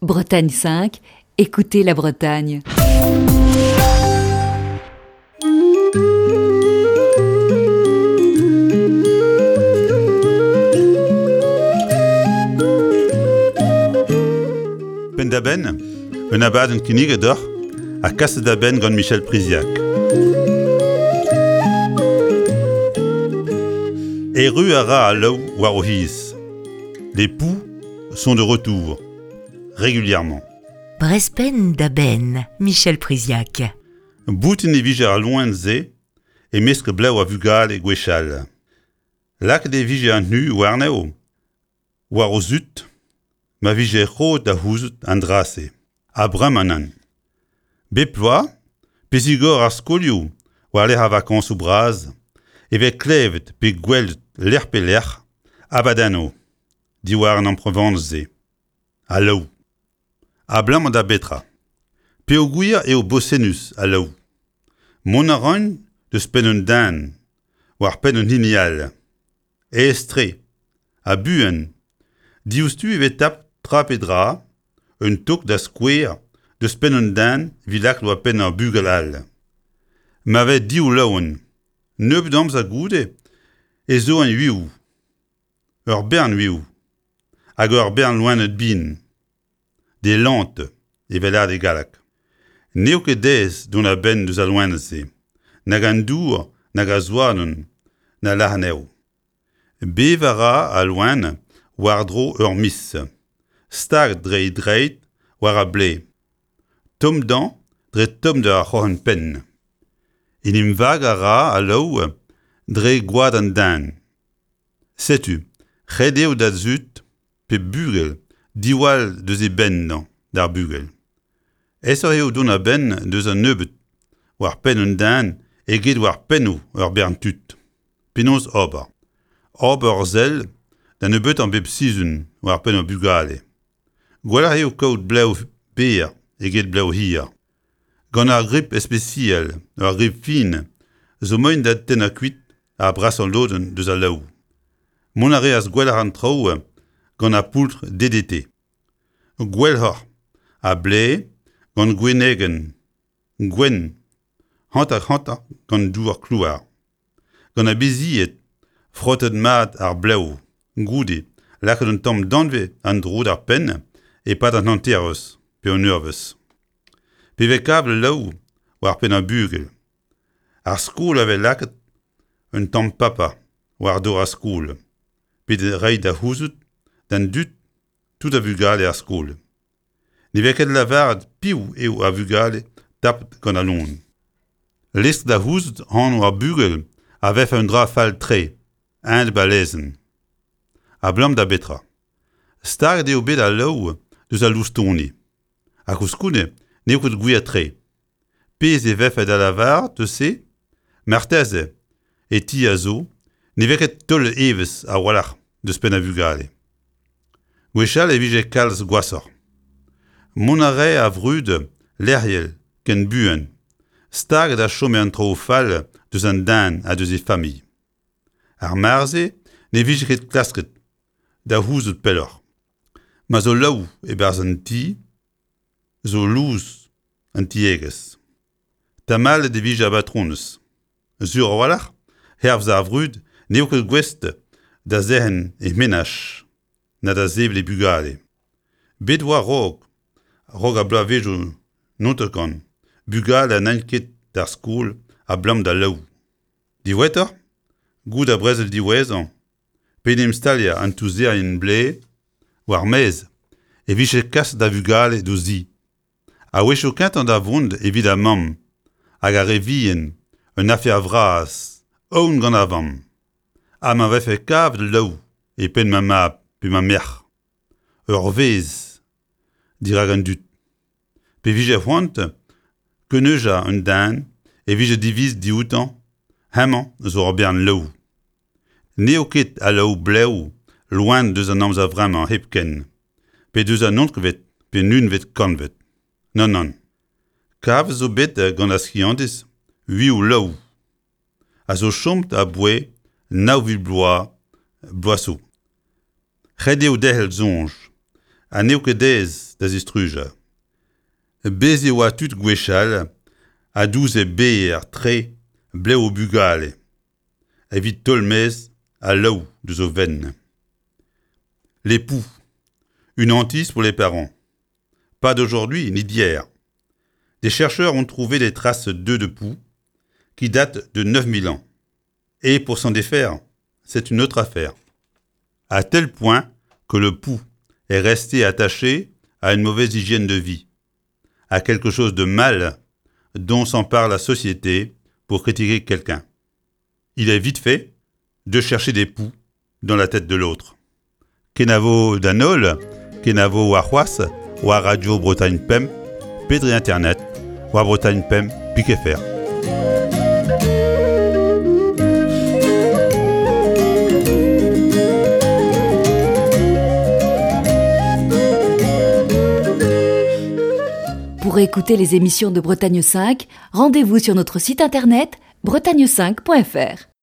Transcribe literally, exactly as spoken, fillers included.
Bretagne cinq, écoutez la Bretagne. Penn-da-benn, un abadenn kinniget deoc'h ha kaset da benn gant Michel Priziac. Erru a ra al laou war o c'hiz. Les poux sont de retour, régulièrement. Brezh Penn-da-Benn, Michel Priziac. Boutin e vije ar loen-se e-mesk blev a vugale gwechall. Lakaet e vije an hu warnezho, war o zud, ma vije roet da c'houzout an dra-se. Ha bremañ nann. Bep bloaz, pe zigor ar skolioù war-lerc'h ar vakañsoù bras, e vez klevet pe gwelet lec'h pe lec'h abadennoù diwar an amprevan-se. Al laou. Abalamour da betra. Peogwir eo bosennus al laou. Mont a raint deus penn un den, war penn un hini all. Aes-tre, ha buan, diouzhtu e vez tapet tra pe dra, un tok da skouer deus penn un den evit lakaat war penn ur bugel all. Ma vez div loen, nebeut amzer goude ez zo an uioù, ur bern uioù, hag ur bern loened bihan, des lantes evel lâret e galleg. N'eo ket aes dont a-benn deus al loened-se, nag an dour nag ar zouadenn na lazh anezho. Bevañ a ra al loen war-dro ur miz, staget dre e dreid war ar blez, tomm dezhañ dre tommder ar c'hroc'hen-penn. En em vagañ a ra al laou dre gwad an den. Setu, ret eo da zud pe bugel diwall deus e benn d'ar bugel. Aesoc'h eo dont a-benn deus an nebeud war penn un den eget war pennoù ur bern tud. Penaos ober? Ober ur sell da nebeutañ bep sizhun war penn ar bugale. Gwelloc'h eo kaout blev berr eget blev hir. Gant ar grip ispisial, ur grip fin, zo moaien da tennañ kuit ar brasañ lodenn deus al laou. Mont a reas gwelloc'h an traoù gant ar poultr D D T. Gwelloc'h a blez gant gwennegenn, gwenn, hanter-hanter gant dour klouar. Gant ar bizied, frotet mat ar blev, goude, lakaet un tamm danvez en-dro d'ar penn e-pad an hantervezh pe un eurvezh. Pe vez kavet laou war penn ar bugel. Ar skol a vez lakaet un tamm paper war dor ar skol, pe da reiñ da c'houzout d'an dud tout ar vugale er skol. Ne vez ket lavaret piv eo ar vugale tapet gant al loen. Lestr da c'houzout anv ar bugel a vefe un dra fall-tre, a-enep al lezenn. Abalamour da betra. Staget eo bet al laou deus al loustoni. Ha koulskoude n'eo ket gwir-tre. Pezh e vefe da lavaret deus se, marteze e ti a zo, ne vez ket taolet evezh a-walc'h deus penn ar vugale. Gwechall e vije kalz gwashoc'h. Mont a rae ar vrud lec'hiel ken buan, staget a chome an traoù fall deus an den ha deus e familh. Ar mare-se ne vije ket klasket da c'houzout pelloc'h. Ma zo laou e-barzh an ti, zo lous an tiegezh. Tamallet e vije ar batronez. Sur a-walc'h, hervez ar vrud, n'eo ket gouest da zerc'hen e menaj, na da sevel e bugale. Bet oa a-raok, a-raok ar bloavezhioù naontek-kant, bugale n'aint ket d'ar skol abalamour d'al laou. Diwezhatoc'h, goude ar brezel diwezhañ, pe en em staliañ an touzerien blez war maez e vije kaset da vugale d'o zi. A-wechoù kentañ da vont evit ar mamm hag ar re vihan un afer vras, aon gant ar vamm. Ha ma vefe kavet laou e penn ma mab pe ma merc'h. Ur vezh dirak an dud. Pe vije c'hoant keuneujañ un den e vije divizet dioutañ, hemañ zo ur bern laou. N'eo ket al laou blev loen deus an amzer vremañ hepken, pe deus an naontekvet pe unvet kantved. Nann, nann. Kavet zo bet gant ar skiantiz uioù laou, a zo chomet aboae nav vil bloaz bloaz zo. Ret eo derc'hel soñj. Ha n'eo ket aes da zistrujañ. Bez' e oa tud gwechall a douze berr tre blev o bugale evit taol maez al laou deus o fenn. Les poux, une hantise pour les parents. Pas d'aujourd'hui ni d'hier. Des chercheurs ont trouvé des traces d'œufs de poux qui datent de neuf mille ans. Et pour s'en défaire, c'est une autre affaire. À tel point que le pou est resté attaché à une mauvaise hygiène de vie, à quelque chose de mal dont s'empare la société pour critiquer quelqu'un. Il est vite fait de chercher des poux dans la tête de l'autre. Kenavo d'an holl, kenavo warc'hoazh, war Radio Bretagne Pemp, pe dre internet, war Bretagne Pemp, pik F R. Pour écouter les émissions de Bretagne cinq, rendez-vous sur notre site internet bretagne cinq point F R.